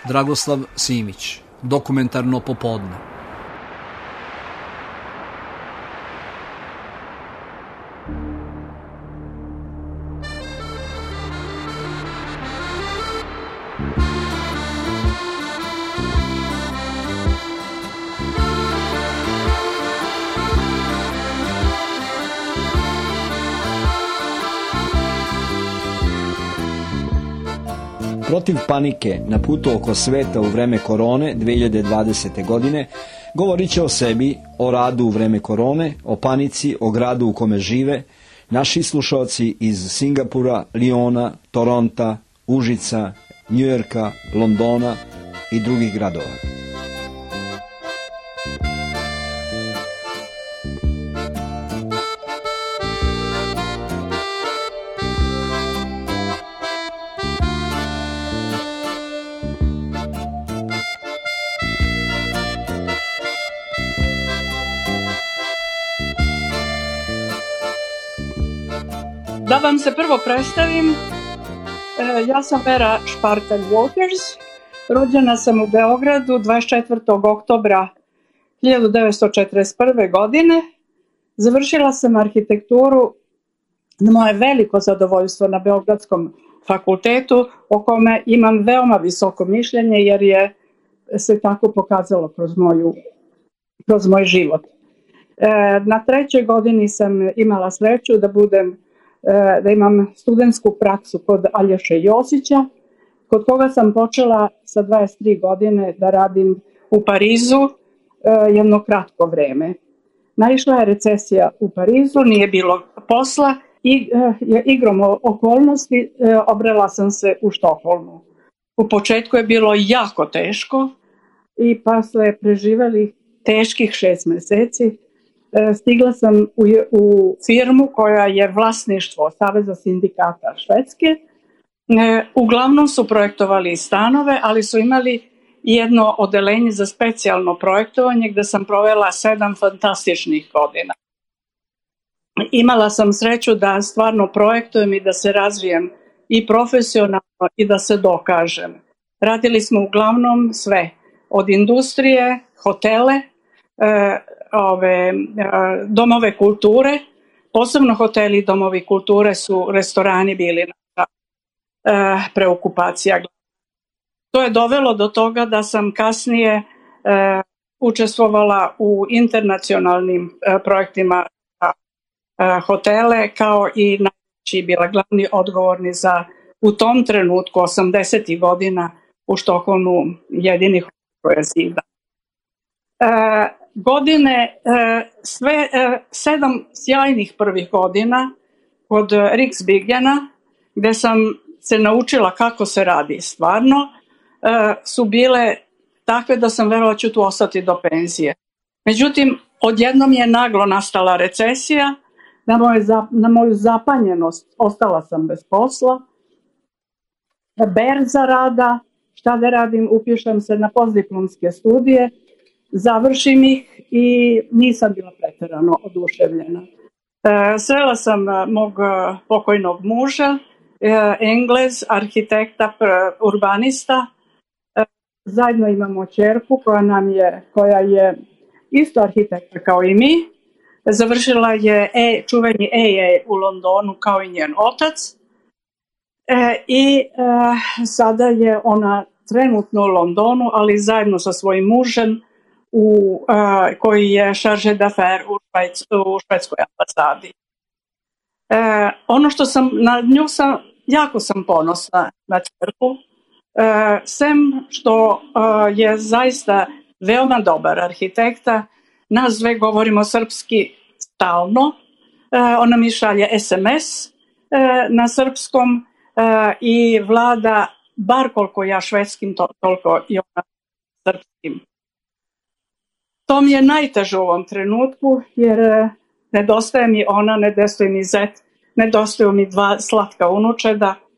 Dragoslav Simić, Dokumentarno popodne. Protiv panike na putu oko sveta u vreme korone 2020. godine govorit će o sebi, o radu u vreme korone, o panici, o gradu u kome žive, naši slušalci iz Singapura, Liona, Toronta, Užica, Njujorka, Londona i drugih gradova. Da vam se prvo predstavim, ja sam Vera Špartalj-Walters, rođena sam u Beogradu 24. oktobra 1941. godine. Završila sam arhitekturu na moje veliko zadovoljstvo na Beogradskom fakultetu, o kome imam veoma visoko mišljenje jer je se tako pokazalo kroz moj život. Na trećoj godini sam imala sreću da imam studentsku praksu kod Aljoše Josića, kod koga sam počela sa 23 godine da radim u Parizu jedno kratko vreme. Naišla je recesija u Parizu, nije bilo posla i igrom okolnosti obrela sam se u Štokholmu. U početku je bilo jako teško i posle preživeli teških 6 meseci stigla sam u firmu koja je vlasništvo Saveza sindikata Švedske. Uglavnom su projektovali stanove, ali su imali jedno odeljenje za specijalno projektovanje gde sam provela 7 fantastičnih godina. Imala sam sreću da stvarno projektujem i da se razvijem i profesionalno i da se dokažem. Radili smo uglavnom sve, od industrije, hotele, domove kulture, posebno hoteli i domovi kulture su restorani bili preokupacija. To je dovelo do toga da sam kasnije učestvovala u internacionalnim projektima hotele, kao i najveći bila glavni odgovorni za u tom trenutku 80. godina u Štokholmu jedini hotel koje zida. Godine, sve 7 sjajnih prvih godina kod Riksbyggena, gde sam se naučila kako se radi stvarno, su bile takve da sam verovala ću tu ostati do penzije. Međutim, odjednom je naglo nastala recesija, na moju zapanjenost ostala sam bez posla, berza rada, šta da radim, upišem se na postdiplomske studije, završim ih i nisam bila preterano oduševljena. Srela sam mog pokojnog muža, Englez, arhitekta, urbanista. Zajedno imamo ćerku koja je isto arhitekta kao i mi. Završila je čuveni AA u Londonu kao i njen otac. I sada je ona trenutno u Londonu, ali zajedno sa svojim mužem koji je chargé d'affaires u švedskoj ambasadi. Ono što sam na nju jako sam ponosna na ćerku, sem što je zaista veoma dobar arhitekta, nas dve govorimo srpski stalno, ona mi šalje SMS na srpskom i vlada bar koliko ja švedskim, toliko i ona srpskim. To mi je najteže u ovom trenutku, jer nedostaje mi ona, nedostaje mi zet, nedostaju mi 2 slatka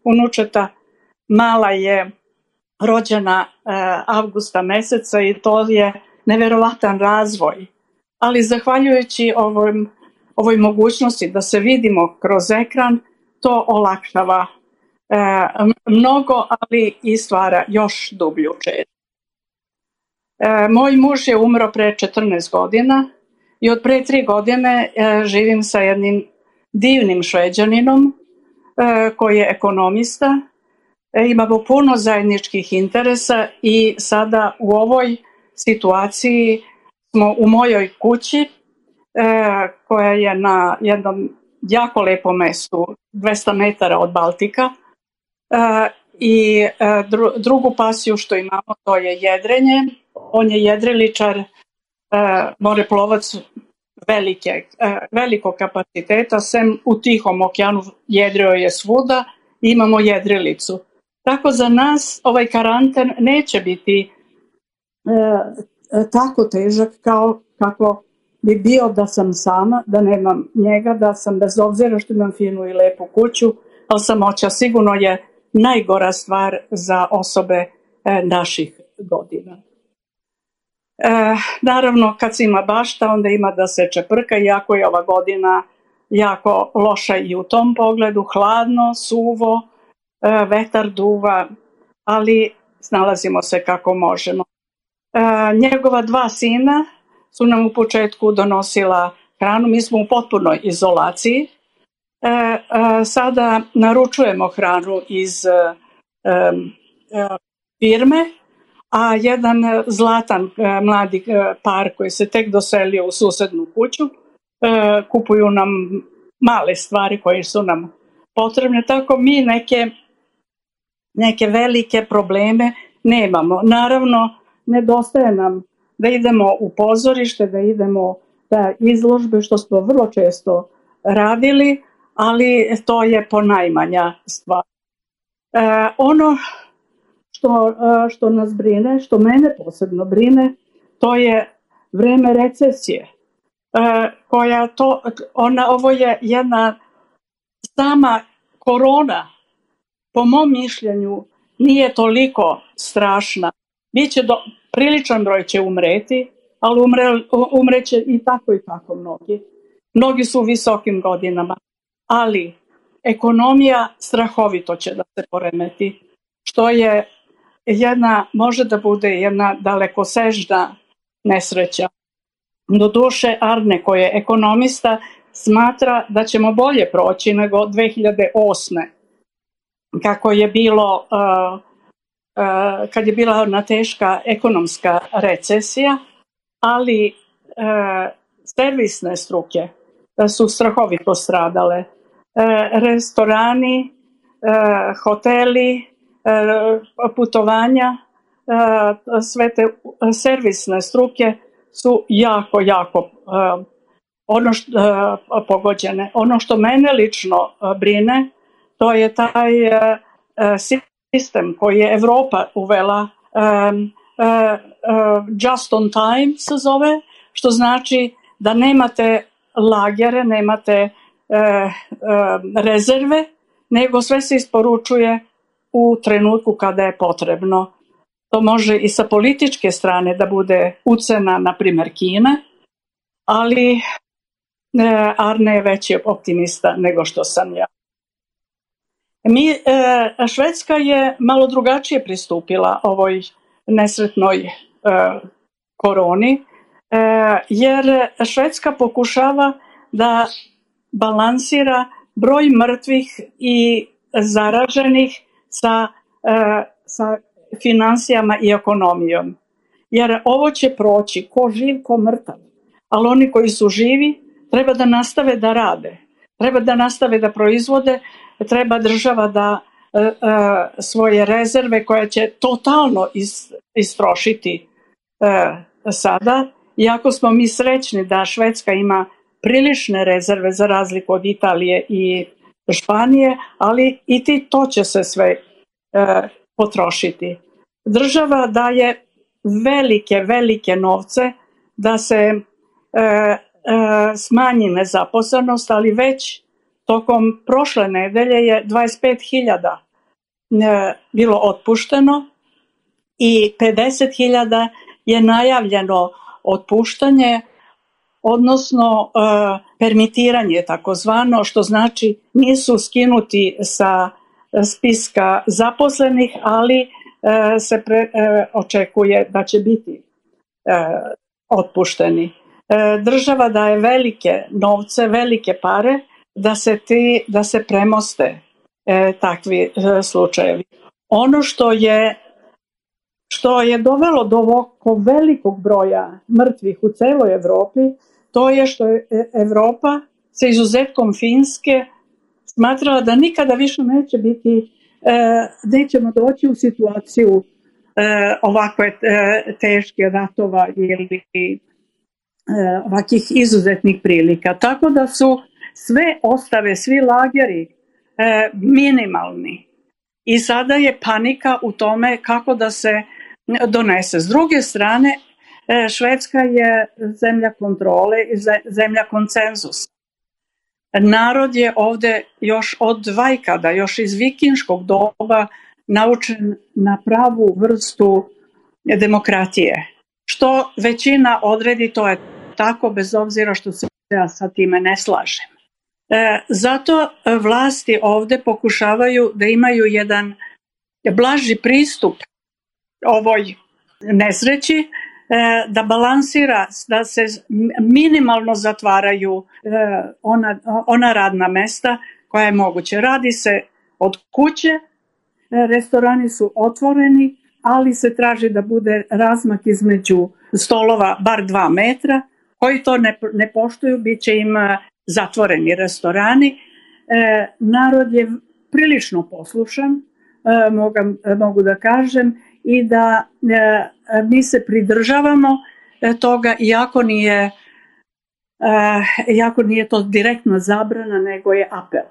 unučeta. Mala je rođena avgusta meseca i to je neverovatan razvoj. Ali zahvaljujući ovoj mogućnosti da se vidimo kroz ekran, to olakšava mnogo, ali i stvara još dublju čežnju. Moj muž je umro pre 14 godina i od pre 3 godine živim sa jednim divnim Šveđaninom koji je ekonomista. Imamo puno zajedničkih interesa i sada u ovoj situaciji smo u mojoj kući koja je na jednom jako lepom mestu, 200 metara od Baltika, i drugu pasiju što imamo to je jedrenje. On je jedriličar, moreplovac velikog kapaciteta, sem u Tihom okeanu jedrio je svuda, imamo jedrilicu. Tako za nas ovaj karanten neće biti tako težak kao kako bi bio da sam sama, da nemam njega, da sam bez obzira što imam finu i lepu kuću, ali samoća sigurno je najgora stvar za osobe naših godina. Naravno, kad se ima bašta, onda ima da se čeprka, iako je ova godina jako loša i u tom pogledu, hladno, suvo, vetar duva, ali snalazimo se kako možemo. Njegova 2 sina su nam u početku donosila hranu, mi smo u potpunoj izolaciji. Sada naručujemo hranu iz firme, a jedan zlatan mladi par koji se tek doselio u susednu kuću kupuju nam male stvari koje su nam potrebne, tako mi neke velike probleme nemamo. Naravno, nedostaje nam da idemo u pozorište, da idemo na izložbe, što smo vrlo često radili, ali to je ponajmanja stvar. Ono što nas brine, što mene posebno brine, to je vreme recesije. Ovo je jedna sama korona, po mom mišljenju, nije toliko strašna. Priličan broj će umreti, ali umreće i tako mnogi. Mnogi su u visokim godinama, ali ekonomija strahovito će da se poremeti, što je može da bude jedna dalekosežna nesreća. Doduše, Arne, koji je ekonomista, smatra da ćemo bolje proći nego 2008. Kako je bilo, kad je bila ona teška ekonomska recesija, ali servisne struke su strahovito stradale. Restorani, hoteli, putovanja, sve te servisne struke su jako pogođene. Ono što mene lično brine, to je taj sistem koji je Evropa uvela, just on time se zove, što znači da nemate lagere, nemate rezerve, nego sve se isporučuje u trenutku kada je potrebno. To može i sa političke strane da bude ucena, na primjer, Kine, ali Arne je veći optimista nego što sam ja. Švedska je malo drugačije pristupila ovoj nesretnoj koroni, jer Švedska pokušava da balansira broj mrtvih i zaraženih sa finansijama i ekonomijom. Jer ovo će proći ko živ, ko mrtav. Ali oni koji su živi treba da nastave da rade, treba da nastave da proizvode, treba država da svoje rezerve koje će totalno istrošiti sada. Iako smo mi srećni da Švedska ima prilične rezerve za razliku od Italije i Španije, ali i to će se sve potrošiti. Država daje velike novce da se smanji nezaposlenost, ali već tokom prošle nedelje je 25.000 bilo otpušteno i 50.000 je najavljeno otpuštanje, odnosno permitiranje takozvano, što znači nisu skinuti sa spiska zaposlenih, ali se očekuje da će biti otpušteni. Država daje velike novce, velike pare da se premoste takvi slučajevi. Ono što je dovelo do ovog velikog broja mrtvih u celoj Evropi, to je što je Evropa sa izuzetkom Finske smatrala da nikada više nećemo doći u situaciju ovakve teške ratova ili ovakih izuzetnih prilika. Tako da su sve ostave, svi lageri minimalni. I sada je panika u tome kako da se donese. S druge strane, Švedska je zemlja kontrole i zemlja konsenzusa. Narod je ovde još od vajkada, još iz vikinškog doba naučen na pravu vrstu demokratije. Što većina odredi, to je tako, bez obzira što se ja sa time ne slažem. Zato vlasti ovde pokušavaju da imaju jedan blaži pristup ovoj nesreći, da balansira, da se minimalno zatvaraju ona radna mesta koja je moguće. Radi se od kuće, restorani su otvoreni, ali se traži da bude razmak između stolova bar 2 metra. Koji to ne poštuju, bit će im zatvoreni restorani. Narod je prilično poslušan, mogu da kažem, i da mi se pridržavamo toga, iako nije to direktna zabrana, nego je apel.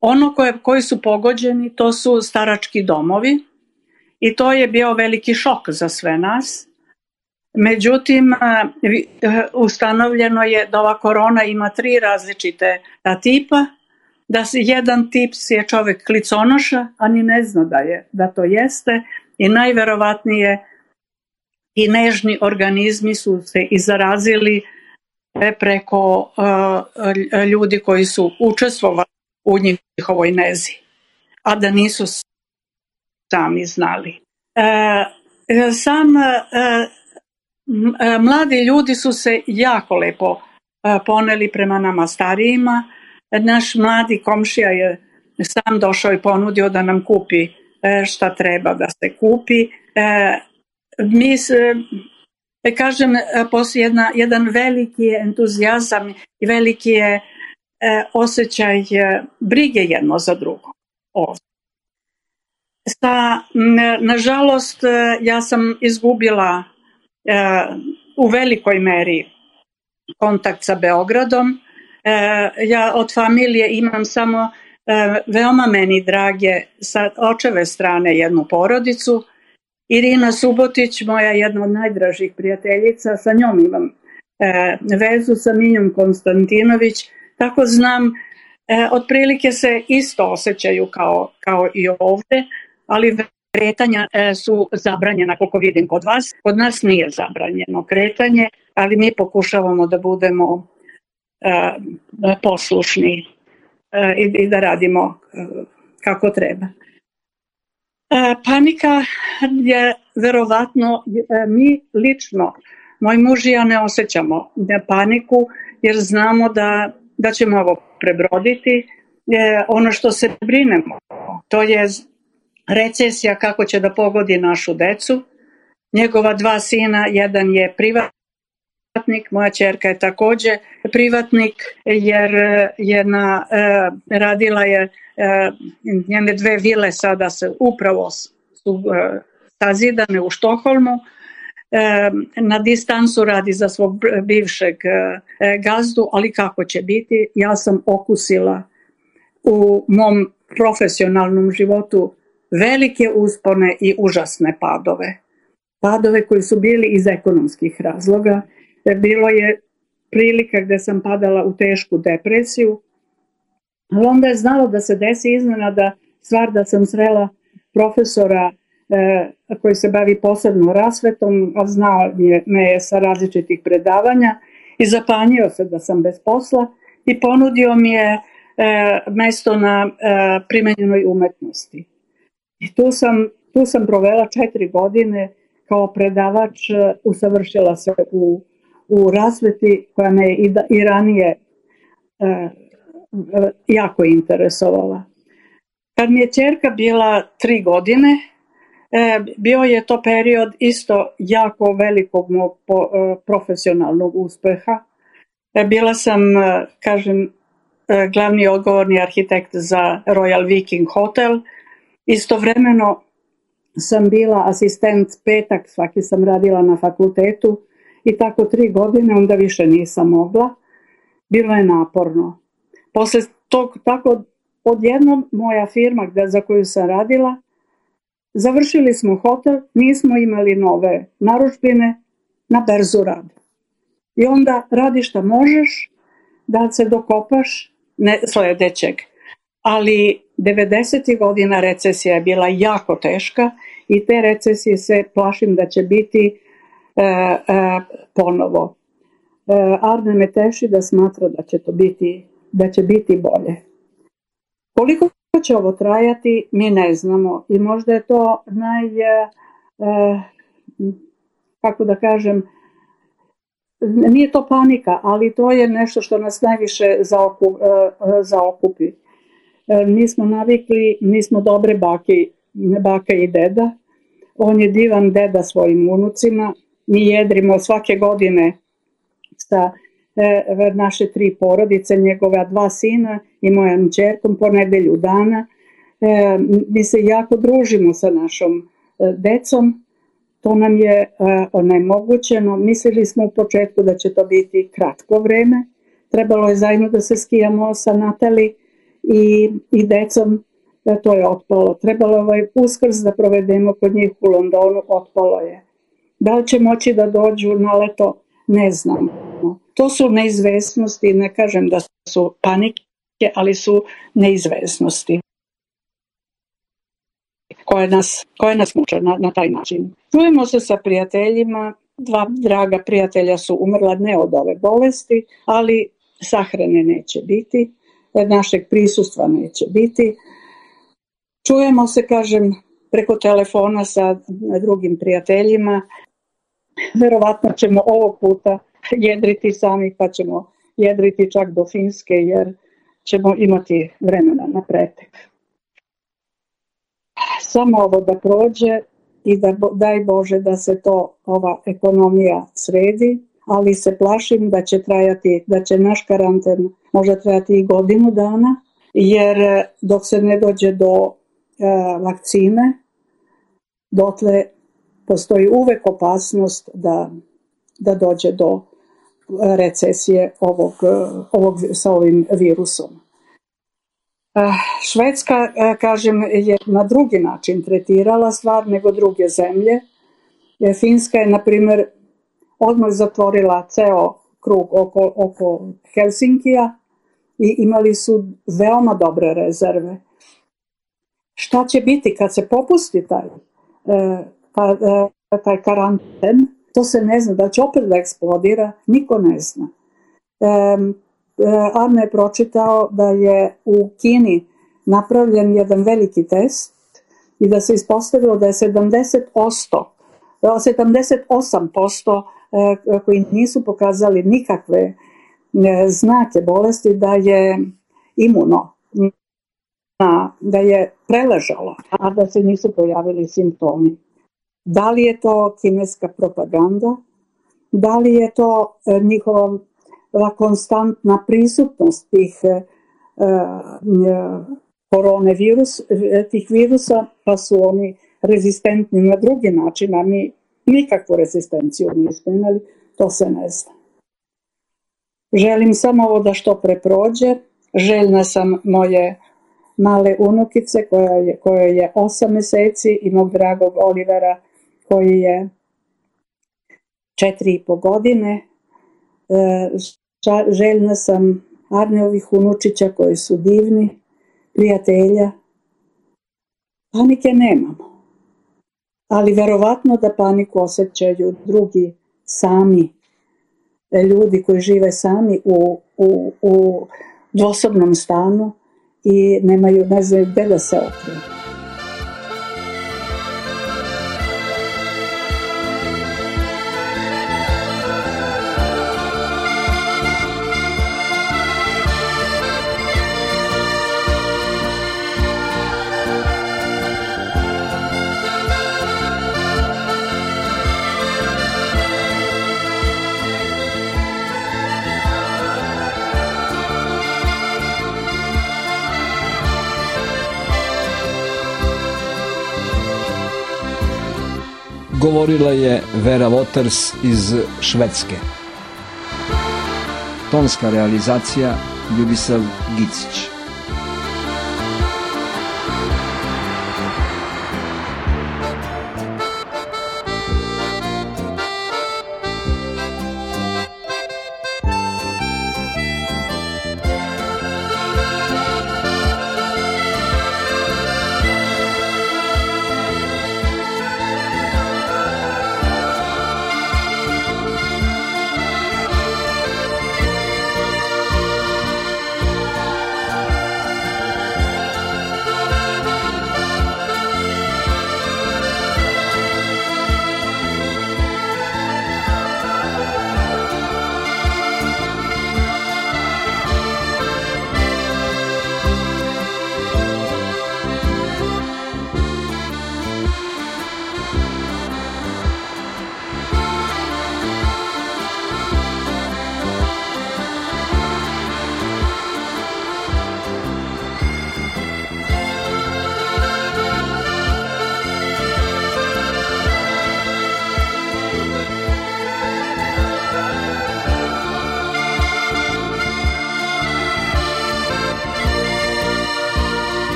Ono koji su pogođeni, to su starački domovi i to je bio veliki šok za sve nas. Međutim, ustanovljeno je da ova korona ima 3 različite tipa, da jedan tip je čovek kliconoša, a ni ne zna da to jeste, i najverovatnije i nežni organizmi su se i zarazili preko ljudi koji su učestvovali u njihovoj nezi, a da nisu sami znali. Mladi ljudi su se jako lepo poneli prema nama starijima. Naš mladi komšija je sam došao i ponudio da nam kupi šta treba da se kupi. Kažem, postoji jedan veliki entuzijazam i veliki je osjećaj brige jedno za drugo. Nažalost, ja sam izgubila u velikoj meri kontakt sa Beogradom. Ja od familije imam samo veoma meni drage sa očeve strane jednu porodicu. Irina Subotić, moja jedna od najdražih prijateljica, sa njom imam vezu, sa Minjom Konstantinović, tako znam, otprilike se isto osjećaju kao i ovde, ali kretanja su zabranjena, koliko vidim kod vas. Kod nas nije zabranjeno kretanje, ali mi pokušavamo da budemo poslušni i da radimo kako treba. Panika je verovatno, mi lično, moj muž i ja ne osjećamo paniku, jer znamo da ćemo ovo prebroditi. Ono što se brinemo, to je recesija kako će da pogodi našu decu. Njegova 2 sina, jedan je privatnik, moja ćerka je takođe privatnik, jer radila je njene 2 vile, sada se upravo su sazidane u Štokholmu. Na distancu radi za svog bivšeg gazdu, ali kako će biti, ja sam okusila u mom profesionalnom životu velike uspone i užasne padove. Padove koji su bili iz ekonomskih razloga. Bilo je prilika gde sam padala u tešku depresiju, ali onda je znalo da se desi iznenada stvar da sam srela profesora koji se bavi posebno rasvetom, a znao me je sa različitih predavanja i zapanjio se da sam bez posla i ponudio mi je mesto na primenjenoj umetnosti. I tu sam provela 4 godine kao predavač, usavršila se u rasveti koja me i ranije jako interesovala. Kad mi je ćerka bila 3 godine, bio je to period isto jako velikog mog profesionalnog uspeha. Bila sam, kažem, glavni odgovorni arhitekt za Royal Viking Hotel. Istovremeno sam bila asistent petak, svaki sam radila na fakultetu i tako 3 godine, onda više nisam mogla. Bilo je naporno. Posle tog, tako odjednom moja firma za koju sam radila, završili smo hotel, nismo imali nove narudžbine, na berzu radi. I onda radi šta možeš da se dokopaš sledećeg. Ali 90. godina recesija je bila jako teška i te recesije se plašim da će biti ponovo. Arne me teši da smatra da će biti bolje. Koliko će ovo trajati, mi ne znamo i možda je to kako da kažem, nije to panika, ali to je nešto što nas najviše zaokupi. Mi smo navikli, mi smo dobre baka i deda. On je divan deda svojim unucima. Mi jedrimo svake godine sa naše 3 porodice, njegova 2 sina i mojom ćerkom po nedelju dana. Mi se jako družimo sa našom decom. To nam je onemogućeno. Mislili smo u početku da će to biti kratko vreme. Trebalo je zajedno da se skijamo sa Natali i decom. To je otpalo. Trebalo je Uskrs da provedemo kod njih u Londonu. Otpalo je. Da li će moći da dođu na leto? Ne znamo. To su neizvesnosti. Ne kažem da su panike, ali su neizvesnosti koje nas muče na taj način. Čujemo se sa prijateljima. 2 draga prijatelja su umrla ne od ove bolesti, ali sahrane neće biti, našeg prisustva neće biti. Čujemo se, kažem, preko telefona sa drugim prijateljima. Verovatno ćemo ovog puta jedriti sami, pa ćemo jedriti čak do Finske, jer ćemo imati vremena na pretek. Samo ovo da prođe i da daj Bože da se ova ekonomija sredi, ali se plašim da će naš karanten možda trajati i 1 godinu dana, jer dok se ne dođe do vakcine, dotle postoji uvek opasnost da dođe do recesije sa ovim virusom. Švedska, kažem, je na drugi način tretirala stvar nego druge zemlje. Finska je, na primjer, odmah zatvorila ceo krug oko Helsinkija i imali su veoma dobre rezerve. Šta će biti kad se popusti taj karanten? To se ne zna. Da će opet da eksplodira? Niko ne zna. Arne je pročitao da je u Kini napravljen jedan veliki test i da se ispostavilo da je 78% koji nisu pokazali nikakve znake bolesti, da je imuno, da je preležalo, a da se nisu pojavili simptomi. Da li je to kineska propaganda? Da li je to njihova konstantna prisutnost tih virusa, pa su oni rezistentni na drugi način, a mi nikakvu rezistenciju nismo imali, to se ne zna. Želim samo ovo da što pre prođe. Željna sam moje male unukice kojoj je 8 meseci i mog dragog Olivera koji je 4,5 godine. Željna sam Arneovih unučića koji su divni, prijatelja. Panike nemamo, ali verovatno da paniku osjećaju drugi sami, ljudi koji žive sami u dvosobnom stanu i ne znaju gde da se okrenu. Govorila je Vera Waters iz Švedske. Tonska realizacija Ljubisav Gicić.